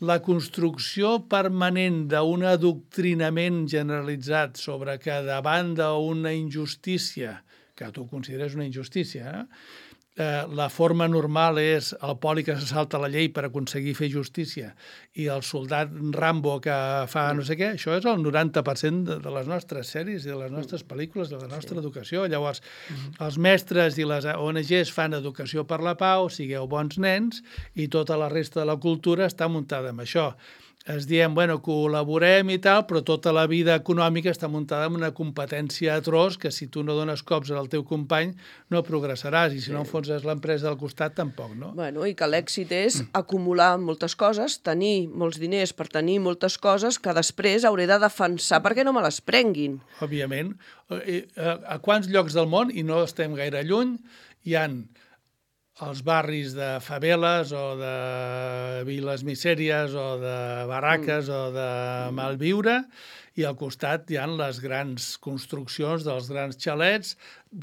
la construcció permanent d'un adoctrinament generalitzat sobre que davant d'una injustícia, que tu consideres una injustícia, la forma normal és el poli que se salta la llei per aconseguir fer justícia i el soldat Rambo que fa no sé què, això és el 90% de les nostres sèries i de les nostres pel·lícules, de la nostra educació. Llavors, els mestres i les ONGs fan educació per la pau, sigueu bons nens, i tota la resta de la cultura està muntada amb això. Es diem, bueno, col·laborem i tal, però tota la vida econòmica està muntada en una competència atroç que si tu no dones cops al teu company no progressaràs, i si no enfonses l'empresa del costat tampoc, no? Bueno, i que l'èxit és acumular moltes coses, tenir molts diners per tenir moltes coses que després hauré de defensar perquè no me les prenguin. Òbviament. A quants llocs del món, i no estem gaire lluny, hi han els barris de faveles o de viles misèries o de barraques o de malviure, i al costat hi ha les grans construccions dels grans xalets,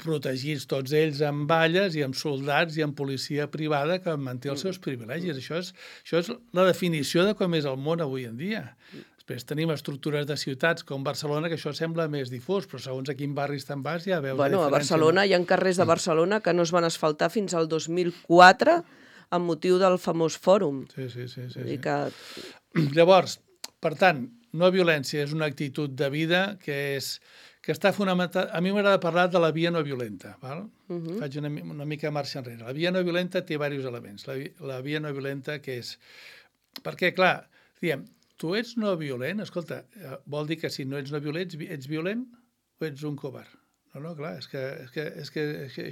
protegits tots ells amb valles i amb soldats i amb policia privada que manté els seus privilegis. Això és la definició de com és el món avui en dia. Després tenim estructures de ciutats com Barcelona, que això sembla més difús, però segons a quin barris te'n vas ja veus la diferència. A Barcelona hi ha carrers de Barcelona que no es van asfaltar fins al 2004 amb motiu del famós fòrum. Sí. Llavors, per tant, no violència és una actitud de vida que està fonamentada... A mi m'agrada parlar de la via no violenta, val? Faig una mica marxa enrere. La via no violenta té diversos elements. La via no violenta que és... Perquè, clar, diem, tu ets no violent, escolta, vol dir que si no ets no violent, ets violent o ets un covard? No, clar, és que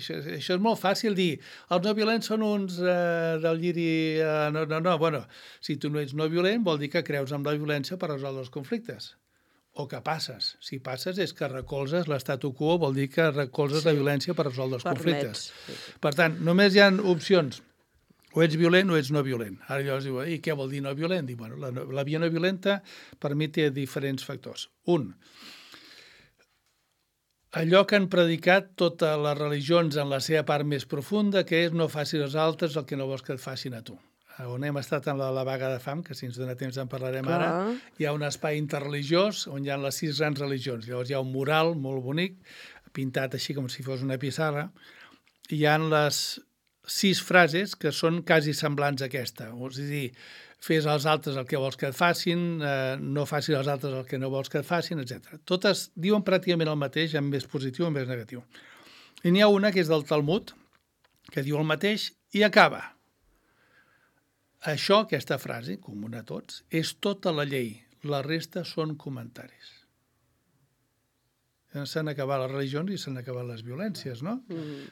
això és molt fàcil dir. Els no violents són uns del lliri... No, bueno, si tu no ets no violent vol dir que creus en la violència per resoldre els conflictes. O que passes. Si passes és que recolzes l'statu quo, vol dir que recolzes la violència per resoldre els conflictes. Per tant, només hi ha opcions. O ets violent o ets no violent. Ara llavors diu, i què vol dir no violent? Diu, bueno, la via no violenta per mi té diferents factors. Un, allò que han predicat totes les religions en la seva part més profunda, que és no facis als altres el que no vols que et facin a tu. On hem estat en la vaga de fam, que si ens dona temps en parlarem ara, hi ha un espai interreligiós on hi ha les 6 grans religions. Llavors hi ha un mural molt bonic, pintat així com si fos una pissarra, i hi ha les 6 frases que són quasi semblants a aquesta. És a dir, fes als altres el que vols que et facin, no facis als altres el que no vols que et facin, etc. Totes diuen pràcticament el mateix, en més positiu o en més negatiu. I n'hi ha una que és del Talmud, que diu el mateix i acaba. Això, aquesta frase, comuna a tots, és tota la llei. La resta són comentaris. S'han acabat les religions i s'han acabat les violències, no?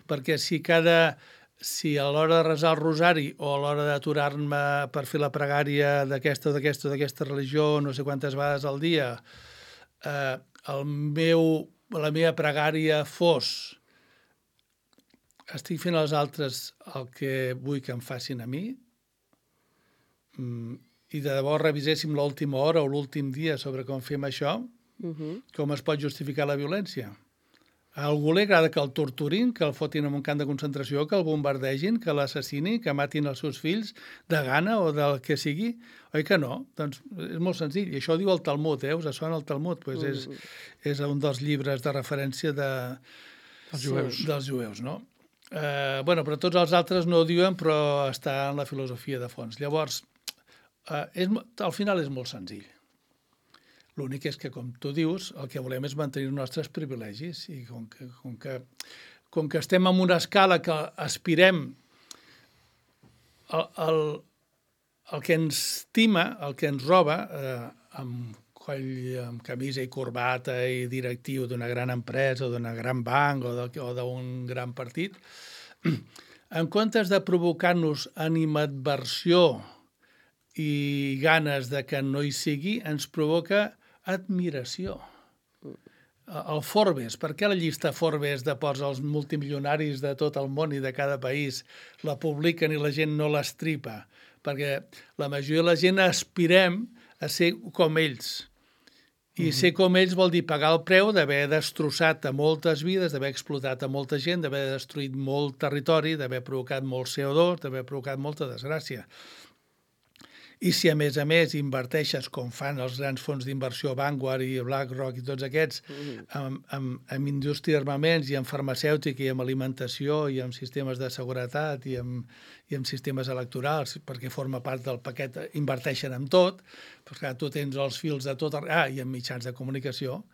Perquè si a l'hora de resar el rosari o a l'hora d'aturar-me per fer la pregària d'aquesta o d'aquesta religió no sé quantes vegades al dia, la meva pregària fos estic fent als altres el que vull que em facin a mi, i de debò reviséssim l'última hora o l'últim dia sobre com fem això, com es pot justificar la violència? A algú li agrada que el torturin, que el fotin en un camp de concentració, que el bombardegin, que l'assassini, que matin els seus fills de gana o del que sigui? Oi que no? Doncs és molt senzill. I això ho diu el Talmud, us sona el Talmud? Pues és un dels llibres de referència dels jueus, no? Però tots els altres no ho diuen, però està en la filosofia de fons. Llavors, al final és molt senzill. L'únic és que, com tu dius, el que volem és mantenir els nostres privilegis i com que estem en una escala que aspirem el que ens tima, el que ens roba, amb coll, amb camisa i corbata i directiu d'una gran empresa o d'una gran banc o d'un gran partit, en comptes de provocar-nos animadversió i ganes de que no hi sigui, ens provoca admiració. El Forbes, per què la llista Forbes de posa els multimilionaris de tot el món i de cada país la publiquen i la gent no l'estripa? Perquè la majoria de la gent aspirem a ser com ells. I ser com ells vol dir pagar el preu d'haver destrossat a moltes vides, d'haver explotat a molta gent, d'haver destruït molt territori, d'haver provocat molt CO2, d'haver provocat molta desgràcia. I si a més inverteixes, com fan els grans fons d'inversió Vanguard i BlackRock i tots aquests, en indústria d'armaments i en farmacèutica i en alimentació i en sistemes de seguretat i en sistemes electorals, perquè forma part del paquet, inverteixen en tot, doncs clar, tu tens els fils de tot, i en mitjans de comunicació,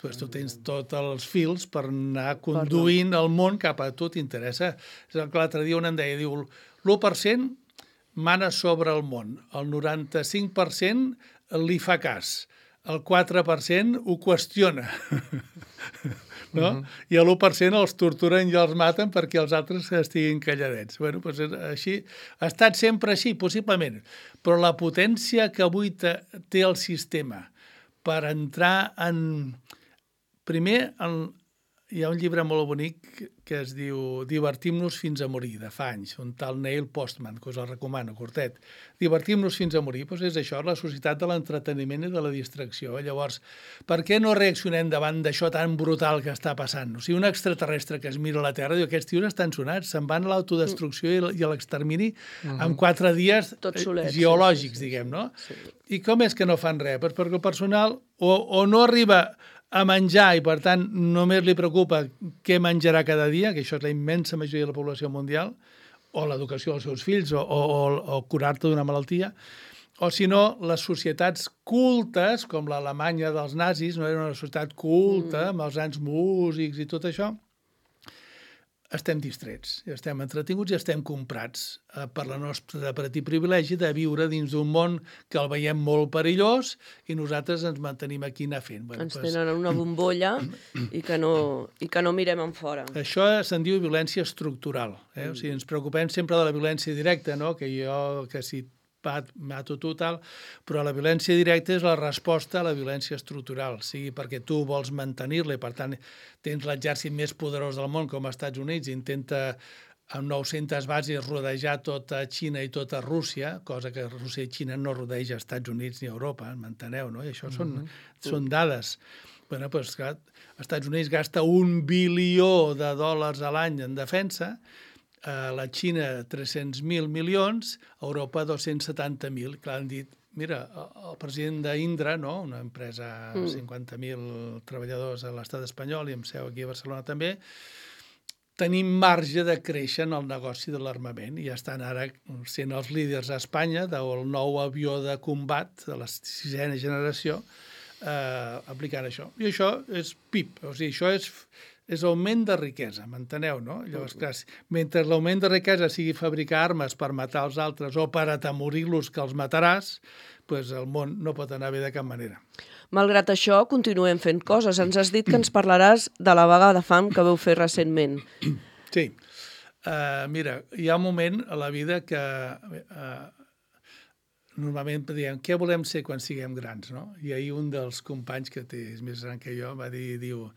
doncs tu tens tots els fils per anar conduint el món cap a tu t'interessa. És el que l'altre dia un em deia, diu, l'1% mana sobre el món, el 95% li fa cas, el 4% ho qüestiona, no? I l'1% els torturen i els maten perquè els altres estiguin calladets. Bueno, doncs així, ha estat sempre així, possiblement, però la potència que avui té el sistema per entrar en... Primer, hi ha un llibre molt bonic que es diu Divertim-nos fins a morir, de fa anys, un tal Neil Postman, que us el recomano, curtet. Divertim-nos fins a morir, doncs és això, la societat de l'entreteniment i de la distracció. Llavors, per què no reaccionem davant d'això tan brutal que està passant? O sigui, un extraterrestre que es mira a la Terra diu, aquests tios estan sonats, se'n van a l'autodestrucció i a l'extermini en 4 dies geològics, diguem, no? I com és que no fan res? Perquè el personal o no arriba a menjar i, per tant, només li preocupa què menjarà cada dia, que això és la immensa majoria de la població mundial, o l'educació dels seus fills, o curar-te d'una malaltia, o si no, les societats cultes, com l'Alemanya dels nazis, no era una societat culta, amb els grans músics i tot això, estem distrets, estem entretinguts i estem comprats per la nostra petit privilegi de viure dins d'un món que el veiem molt perillós i nosaltres ens mantenim aquí anar fent. Ens tenen una bombolla i que no mirem en fora. Això se'n diu violència estructural. O sigui, ens preocupem sempre de la violència directa, no? Que si mato tu, tal, però la violència directa és la resposta a la violència estructural, sigui perquè tu vols mantenir-la i, per tant, tens l'exèrcit més poderós del món, com als Estats Units, i intenta amb 900 bases rodejar tota Xina i tota Rússia, cosa que Rússia i Xina no rodeja als Estats Units ni a Europa, m'enteneu, no? I això són dades. Bé, doncs, clar, els Estats Units gasta $1 bilió a l'any en defensa, la Xina 300.000 milions, Europa 270.000. Clar, han dit, mira, el president d'Indra, no? Una empresa 50.000 treballadors a l'estat espanyol i amb seu aquí a Barcelona també, tenim marge de créixer en el negoci de l'armament i estan ara sent els líders a Espanya del nou avió de combat de la 6ª generació aplicant això. I això és PIB, o sigui, això és augment de riquesa, m'enteneu, no? Llavors, clar, mentre l'augment de riquesa sigui fabricar armes per matar els altres o per atemorir-los que els mataràs, doncs el món no pot anar bé de cap manera. Malgrat això, continuem fent coses. Ens has dit que ens parlaràs de la vaga de fam que veu fer recentment. Sí. Mira, hi ha un moment a la vida que normalment diem què volem ser quan siguem grans, no? I ahir un dels companys, que és més gran que jo, va dir, diu,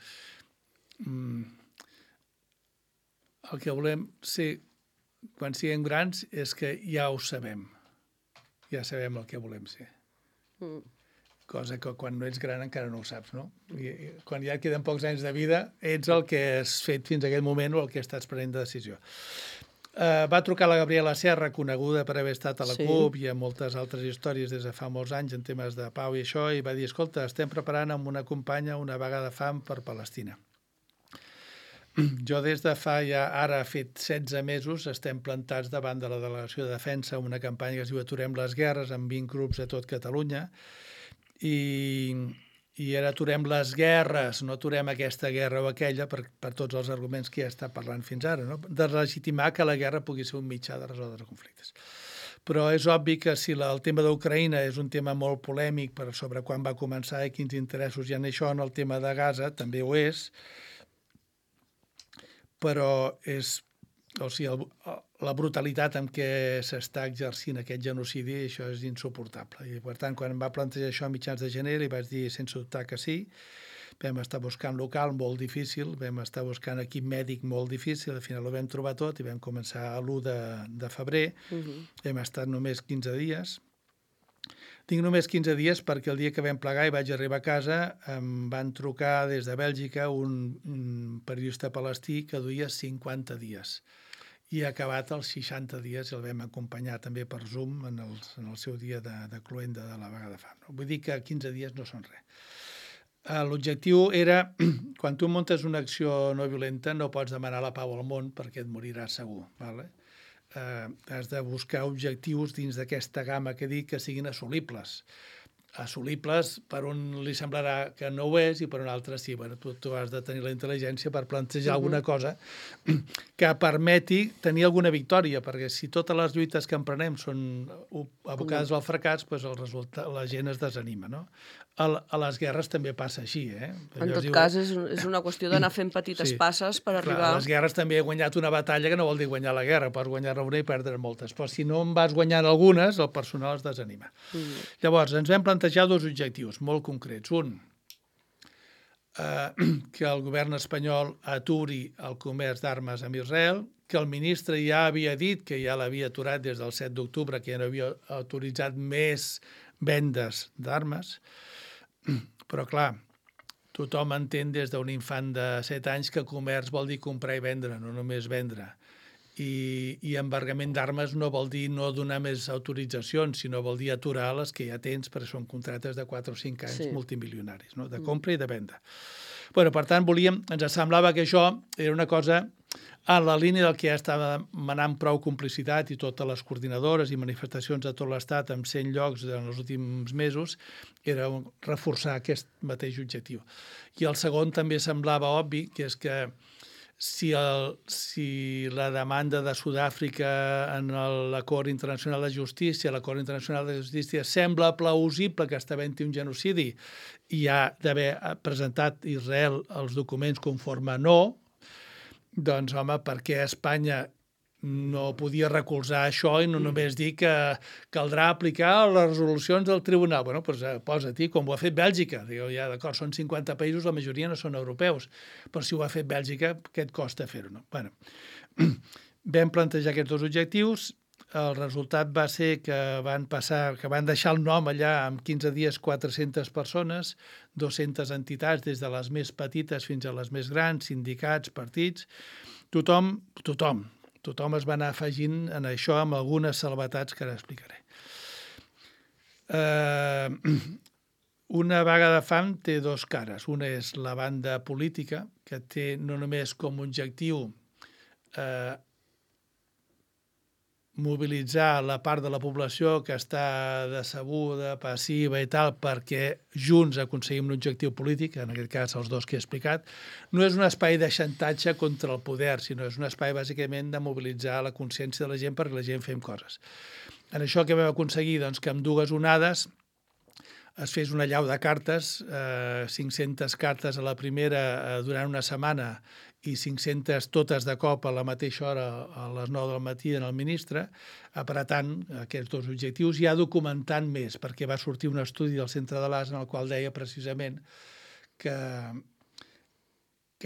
el que volem ser quan siguem grans és que ja ho sabem. Ja sabem el que volem ser. Cosa que quan no ets gran encara no ho saps, no? I quan ja et queden pocs anys de vida, ets el que has fet fins a aquest moment o el que estàs prenent de decisió. Va trucar la Gabriela Serra, coneguda per haver estat a la CUP i a moltes altres històries des de fa molts anys en temes de pau i això, i va dir, escolta, estem preparant amb una companya una vaga de fam per Palestina. Jo des de fa ja, ara ha fet 16 mesos, estem plantats davant de la Delegació de Defensa, una campanya que es diu Aturem les guerres, amb 20 grups a tot Catalunya, i ara aturem les guerres, no aturem aquesta guerra o aquella per tots els arguments que ja està parlant fins ara, no? De legitimar que la guerra pugui ser un mitjà de resoldre conflictes. Però és obvi que si el tema d'Ucraïna és un tema molt polèmic per sobre quan va començar i quins interessos hi ha en això, en el tema de Gaza també ho és, però la brutalitat amb què s'està exercint aquest genocidi, això és insuportable. I, per tant, quan em va plantejar això a mitjans de gener, li vaig dir sense dubtar que sí. Vam estar buscant local molt difícil, vam estar buscant equip mèdic molt difícil, al final ho vam trobar tot i vam començar l'1 de febrer. Hem estat només 15 dies. Tinc només 15 dies perquè el dia que vam plegar i vaig arribar a casa em van trucar des de Bèlgica un periodista palestí que duia 50 dies i ha acabat els 60 dies i el vam acompanyar també per Zoom en el seu dia de cloenda de la vaga de fam. Vull dir que 15 dies no són res. L'objectiu era, quan tu muntes una acció no violenta no pots demanar la pau al món perquè et moriràs segur, d'acord? Has de buscar objectius dins d'aquesta gamma que dic que siguin assolibles. Assolibles per un li semblarà que no ho és i per un altre sí. Bueno, tu has de tenir la intel·ligència per plantejar alguna cosa que permeti tenir alguna victòria, perquè si totes les lluites que emprenem són abocades al fracàs, doncs la gent es desanima, no? A les guerres també passa així, eh? En tot cas, és una qüestió d'anar fent petites passes per arribar... A les guerres també he guanyat una batalla que no vol dir guanyar la guerra, pots guanyar-ne una i perdre moltes, però si no en vas guanyant algunes, el personal es desanima. Llavors, ens vam plantejar 2 objectius molt concrets. Un, que el govern espanyol aturi el comerç d'armes amb Israel, que el ministre ja havia dit que ja l'havia aturat des del 7 d'octubre, que ja no havia autoritzat més vendes d'armes. Però, clar, tothom entén des d'un infant de 7 anys que comerç vol dir comprar i vendre, no només vendre. I embargament d'armes no vol dir no donar més autoritzacions, sinó vol dir aturar les que ja tens, perquè són contractes de 4 o 5 anys multimilionaris, no? De compra i de venda. Bueno, per tant, ens semblava que això era una cosa en la línia del que ja estava manant prou complicitat i totes les coordinadores i manifestacions de tot l'Estat en 100 llocs en els últims mesos, era reforçar aquest mateix objectiu. I el segon també semblava obvi, que és que si la demanda de Sud-àfrica en l'Acord Internacional de Justícia, l'Acord Internacional de Justícia sembla plausible que està havent-hi un genocidi i ha d'haver presentat Israel els documents conforme no, doncs, home, per què Espanya no podia recolzar això i no només dir que caldrà aplicar les resolucions del tribunal? Bueno, doncs posa-t'hi, com ho ha fet Bèlgica. Digueu, ja, d'acord, són 50 països, la majoria no són europeus, però si ho ha fet Bèlgica, què et costa fer-ho, no? Bueno, vam plantejar aquests 2 objectius. El resultat va ser que van deixar el nom allà en 15 dies 400 persones, 200 entitats, des de les més petites fins a les més grans, sindicats, partits. Tothom es va anar afegint en això amb algunes salvetats que ara explicaré. Una vaga de fam té 2 cares. Una és la banda política, que té no només com a objectiu mobilitzar la part de la població que està decebuda, passiva i tal, perquè junts aconseguim un objectiu polític, en aquest cas els 2 que he explicat. No és un espai de xantatge contra el poder, sinó és un espai bàsicament de mobilitzar la consciència de la gent perquè la gent fem coses. En això que vam aconseguir, doncs, que amb 2 onades es fes una llau de cartes, 500 cartes a la primera durant una setmana i 500 totes de cop a la mateixa hora a les 9 del matí en el ministre, apretant aquests 2 objectius i ja documentant més, perquè va sortir un estudi del Centre de l'AS en el qual deia precisament que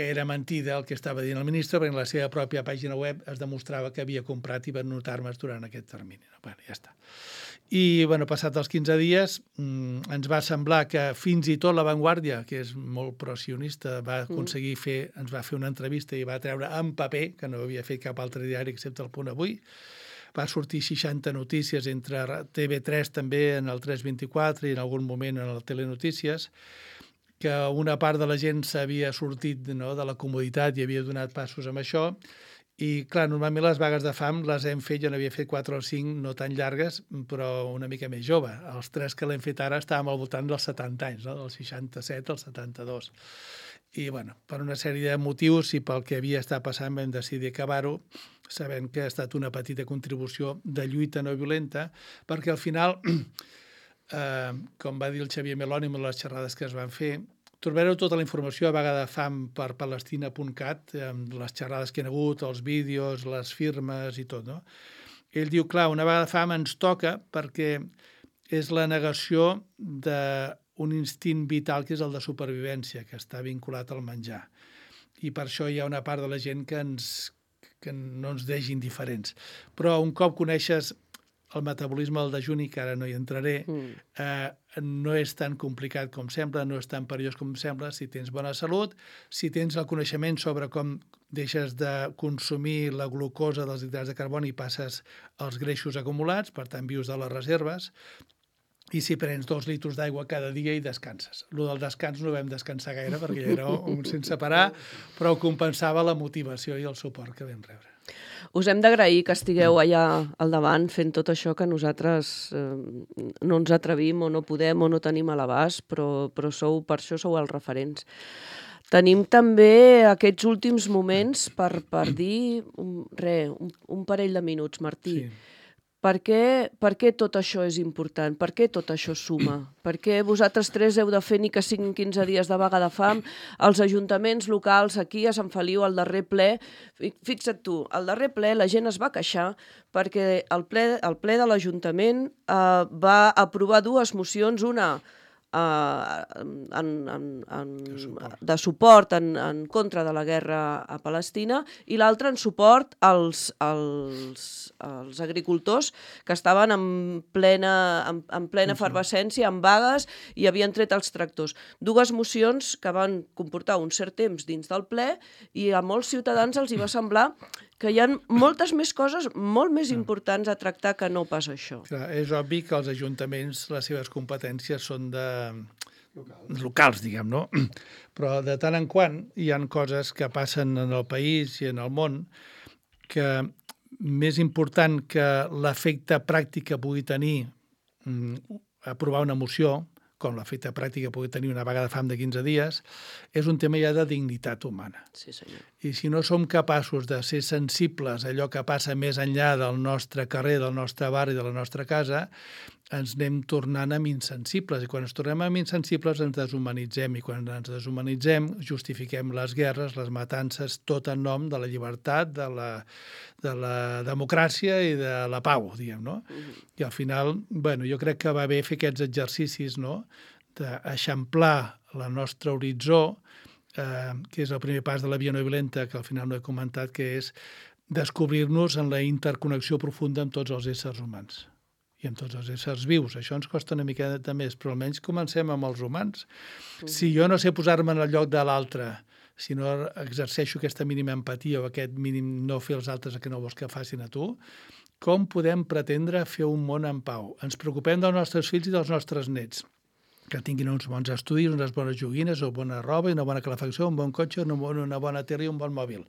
era mentida el que estava dient el ministre, perquè en la seva pròpia pàgina web es demostrava que havia comprat i venut armes durant aquest termini. Bueno, ja està. I, passat els 15 dies, ens va semblar que fins i tot La Vanguardia, que és molt pro-sionista, va aconseguir ens va fer una entrevista i va treure en paper, que no havia fet cap altre diari excepte el Punt Avui. Va sortir 60 notícies entre TV3 també en el 324 i en algun moment en el Telenotícies, que una part de la gent s'havia sortit de la comoditat i havia donat passos amb això. I, clar, normalment les vagues de fam les hem fet, jo n'havia fet 4 o 5, no tan llargues, però una mica més jove. Els 3 que l'hem fet ara estàvem al voltant dels 70 anys, no? Del 67 al 72. I, per una sèrie de motius i pel que havia estat passant vam decidir acabar-ho sabent que ha estat una petita contribució de lluita no violenta, perquè al final, com va dir el Xavier Meloni en les xerrades que es van fer, trobareu tota la informació a Vaga de Fam per palestina.cat, amb les xerrades que hi ha hagut, els vídeos, les firmes i tot, no? Ell diu, clar, una vaga de fam ens toca perquè és la negació d'un instint vital que és el de supervivència, que està vinculat al menjar. I per això hi ha una part de la gent que no ens deixa indiferents. Però un cop coneixes el metabolisme del dejuni, que ara no hi entraré, no és tan complicat com sembla, no és tan perillós com sembla, si tens bona salut, si tens el coneixement sobre com deixes de consumir la glucosa dels hidrats de carboni i passes als greixos acumulats, per tant vius de les reserves, i si prens 2 litres d'aigua cada dia i descanses. Lo del descans no vam descansar gaire perquè ja era un sense parar, però compensava la motivació i el suport que vam rebre. Us hem d'agrair que estigueu allà al davant fent tot això que nosaltres no ens atrevim o no podem o no tenim a l'abast, però per això sou els referents. Tenim també aquests últims moments per dir un parell de minuts, Martí. Sí. Per què tot això és important? Per què tot això suma? Per què vosaltres 3 heu de fer ni que siguin 15 dies de vaga de fam? Els ajuntaments locals aquí a Sant Feliu, al darrer ple, fixa't tu, al darrer ple la gent es va queixar perquè el ple de l'Ajuntament va aprovar 2 mocions, una de suport en contra de la guerra a Palestina i l'altra en suport als agricultors que estaven en plena efervescència, en vagues, i havien tret els tractors. 2 mocions que van comportar un cert temps dins del ple i a molts ciutadans els hi va semblar que hi ha moltes més coses molt més importants a tractar que no pas això. Clar, és obvi que els ajuntaments, les seves competències són locals, diguem, no? Però de tant en quant hi ha coses que passen en el país i en el món que més important que l'efecte pràctic que pugui tenir aprovar una moció, com l'efecte pràctic que pugui tenir una vaga de fam de 15 dies, és un tema ja de dignitat humana. Sí, senyor. I si no som capaços de ser sensibles a allò que passa més enllà del nostre carrer, del nostre barri, de la nostra casa, ens anem tornant amb insensibles. I quan ens tornem amb insensibles ens deshumanitzem. I quan ens deshumanitzem justifiquem les guerres, les matances, tot en nom de la llibertat, de la democràcia i de la pau, diguem, no? I al final, bueno, jo crec que va bé fer aquests exercicis, no?, d'eixamplar la nostra horitzó, que és el primer pas de la via no violenta, que al final no he comentat, que és descobrir-nos en la interconnexió profunda amb tots els éssers humans i amb tots els éssers vius. Això ens costa una miqueta més, però almenys comencem amb els humans. Si jo no sé posar-me en el lloc de l'altre, si no exerceixo aquesta mínima empatia o aquest mínim no fer els altres el que no vols que facin a tu, com podem pretendre fer un món en pau? Ens preocupem dels nostres fills i dels nostres nets, que tinguin uns bons estudis, unes bones joguines, o bona roba, una bona calefacció, un bon cotxe, una bona terra i un bon mòbil.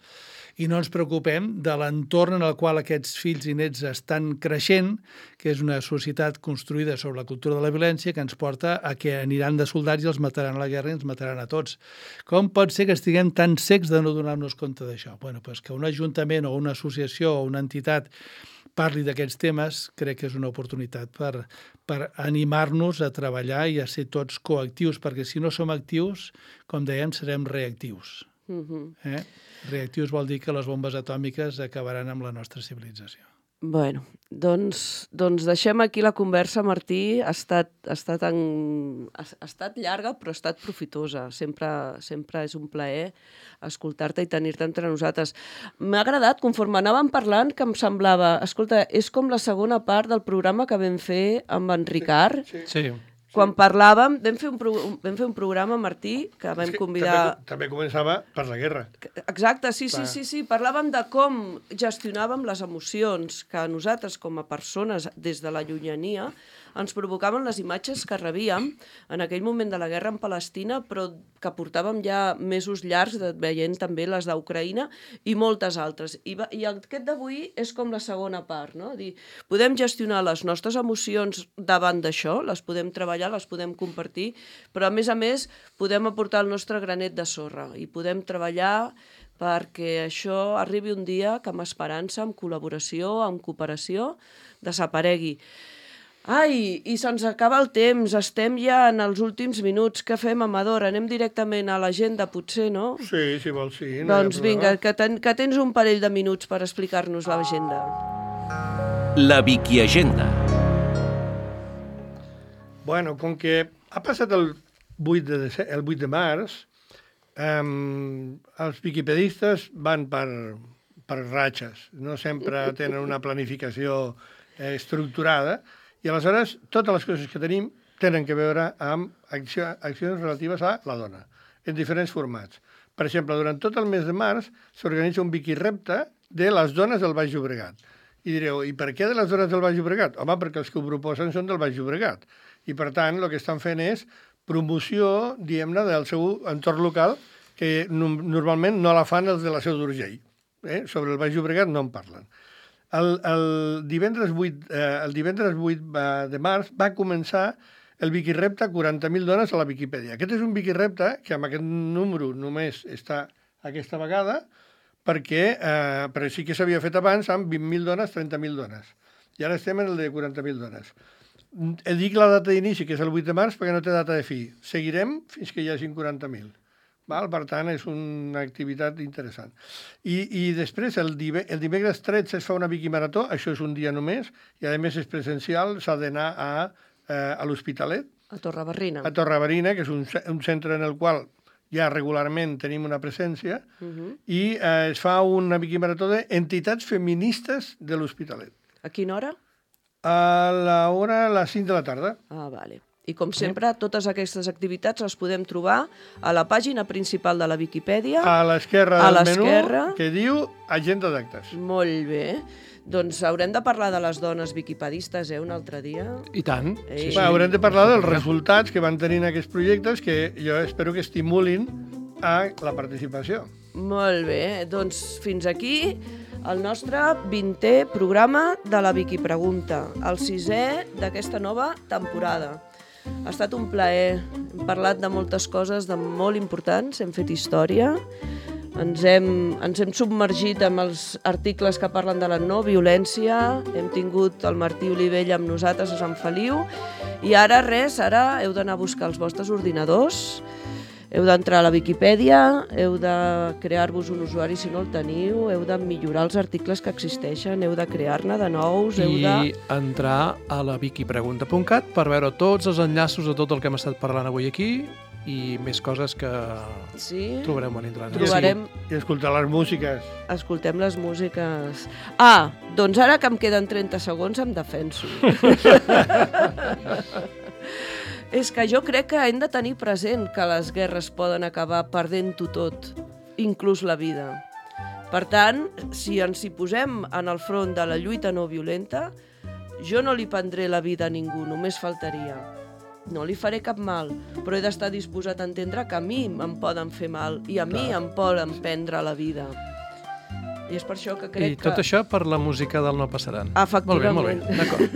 I no ens preocupem de l'entorn en el qual aquests fills i nets estan creixent, que és una societat construïda sobre la cultura de la violència que ens porta a que aniran de soldats i els mataran a la guerra i ens mataran a tots. Com pot ser que estiguem tan secs de no donar-nos compte d'això? Bueno, doncs que un ajuntament o una associació o una entitat parli d'aquests temes, crec que és una oportunitat per animar-nos a treballar i a ser tots coactius, perquè si no som actius, com dèiem, serem reactius. Reactius vol dir que les bombes atòmiques acabaran amb la nostra civilització. Bueno, doncs deixem aquí la conversa, Martí. Ha estat llarga, però ha estat profitosa. Sempre és un plaer escoltar-te i tenir-te entre nosaltres. M'ha agradat, conforme anàvem parlant, que em semblava, escolta, és com la segona part del programa que vam fer amb en Ricard. Sí. Quan parlàvem, vam fer un programa, Martí, que vam convidar... També començava per la guerra. Exacte, sí. Parlàvem de com gestionàvem les emocions que nosaltres, com a persones, des de la llunyania, ens provocaven les imatges que rebíem en aquell moment de la guerra en Palestina, però que portàvem ja mesos llargs veient també les d'Ucraïna i moltes altres. I aquest d'avui és com la segona part, no? Podem gestionar les nostres emocions davant d'això, les podem treballar, les podem compartir, però a més podem aportar el nostre granet de sorra i podem treballar perquè això arribi un dia que amb esperança, amb col·laboració, amb cooperació, desaparegui. Ai, i se'ns acaba el temps, estem ja en els últims minuts. Què fem, Amador? Anem directament a l'agenda, potser, no? Sí, si vols, sí. Doncs vinga, que tens un parell de minuts per explicar-nos l'agenda. La Viquiagenda. Bueno, com que ha passat el 8 de març, els viquipedistes van per ratxes, no sempre tenen una planificació estructurada, i aleshores totes les coses que tenim tenen que veure amb accions relatives a la dona, en diferents formats. Per exemple, durant tot el mes de març s'organitza un viquirepte de les dones del Baix Llobregat. I direu, i per què de les dones del Baix Llobregat? Home, perquè els que ho proposen són del Baix Llobregat. I per tant, el que estan fent és promoció, diguem-ne, del seu entorn local, que normalment no la fan els de la Seu d'Urgell. Sobre el Baix Llobregat no en parlen. El divendres 8 de març va començar el Viquirepte 40.000 dones a la Viquipèdia. Aquest és un Viquirepte que amb aquest número només està aquesta vegada, però sí que s'havia fet abans amb 20.000 dones, 30.000 dones. I ara estem en el de 40.000 dones. Dic la data d'inici, que és el 8 de març, perquè no té data de fi. Seguirem fins que hi hagin 40.000. Per tant, és una activitat interessant. I després, el dimecres 13 es fa una Viquimarató, això és un dia només, i a més és presencial, s'ha d'anar a l'Hospitalet. A Torrebarrina. A Torrebarina, que és un centre en el qual ja regularment tenim una presència, i es fa una Viquimarató d'entitats feministes de l'Hospitalet. A quina hora? A les 5 de la tarda. Ah, vale. I com sempre, totes aquestes activitats les podem trobar a la pàgina principal de la Viquipèdia. A l'esquerra del menú, que diu Agenda d'actes. Molt bé. Doncs haurem de parlar de les dones viquipedistes, un altre dia. I tant. Sí. Haurem de parlar dels resultats que van tenint aquests projectes, que jo espero que estimulin a la participació. Molt bé. Doncs fins aquí el nostre 20è programa de la Viquipregunta, el 6è d'aquesta nova temporada. Ha estat un plaer. Hem parlat de moltes coses molt importants, hem fet història, ens hem submergit amb els articles que parlen de la no violència, hem tingut el Martí Olivella amb nosaltres a Sant Feliu, i ara heu d'anar a buscar els vostres ordinadors, heu d'entrar a la Viquipèdia, heu de crear-vos un usuari si no el teniu, heu de millorar els articles que existeixen, heu de crear-ne de nous, I entrar a la viquipregunta.cat per veure tots els enllaços de tot el que hem estat parlant avui aquí i més coses que trobarem a l'internet. I escoltar les músiques. Escoltem les músiques. Ah, doncs ara que em queden 30 segons em defenso. És que jo crec que hem de tenir present que les guerres poden acabar perdent-ho tot, inclús la vida. Per tant, si ens hi posem en el front de la lluita no violenta, jo no li prendré la vida a ningú, només faltaria. No li faré cap mal, però he d'estar disposat a entendre que a mi em poden fer mal i a mi em poden prendre la vida. I és per això que crec que... I tot això per la música del No Passaran. Efectivament. Molt bé, d'acord.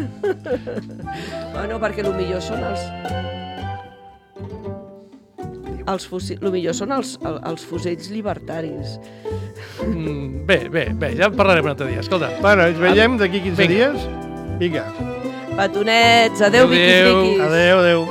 Bueno, perquè el millor són els fusells libertaris. Bé, ja en parlarem un altre dia. Escolta. Bueno, ens veiem d'aquí 15 dies. Vinga. Petonets, adeu, viquis. Adeu.